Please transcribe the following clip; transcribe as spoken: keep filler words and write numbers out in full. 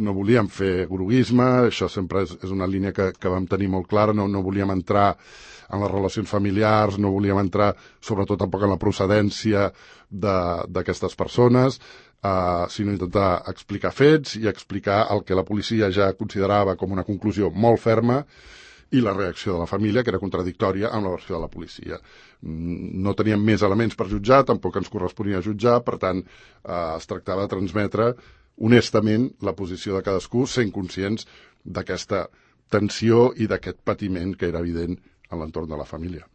no volíem fer groguisme, això sempre és, és una línia que, que vam tenir molt clara, no, no volíem entrar en les relacions familiars, no volíem entrar sobretot tampoc en la procedència d'aquestes persones, Uh, sinó intentar explicar fets i explicar el que la policia ja considerava com una conclusió molt ferma i la reacció de la família, que era contradictòria amb la versió de la policia. No teníem més elements per jutjar, tampoc ens corresponia jutjar, per tant, uh, es tractava de transmetre honestament la posició de cadascú, sent conscients d'aquesta tensió i d'aquest patiment que era evident en l'entorn de la família.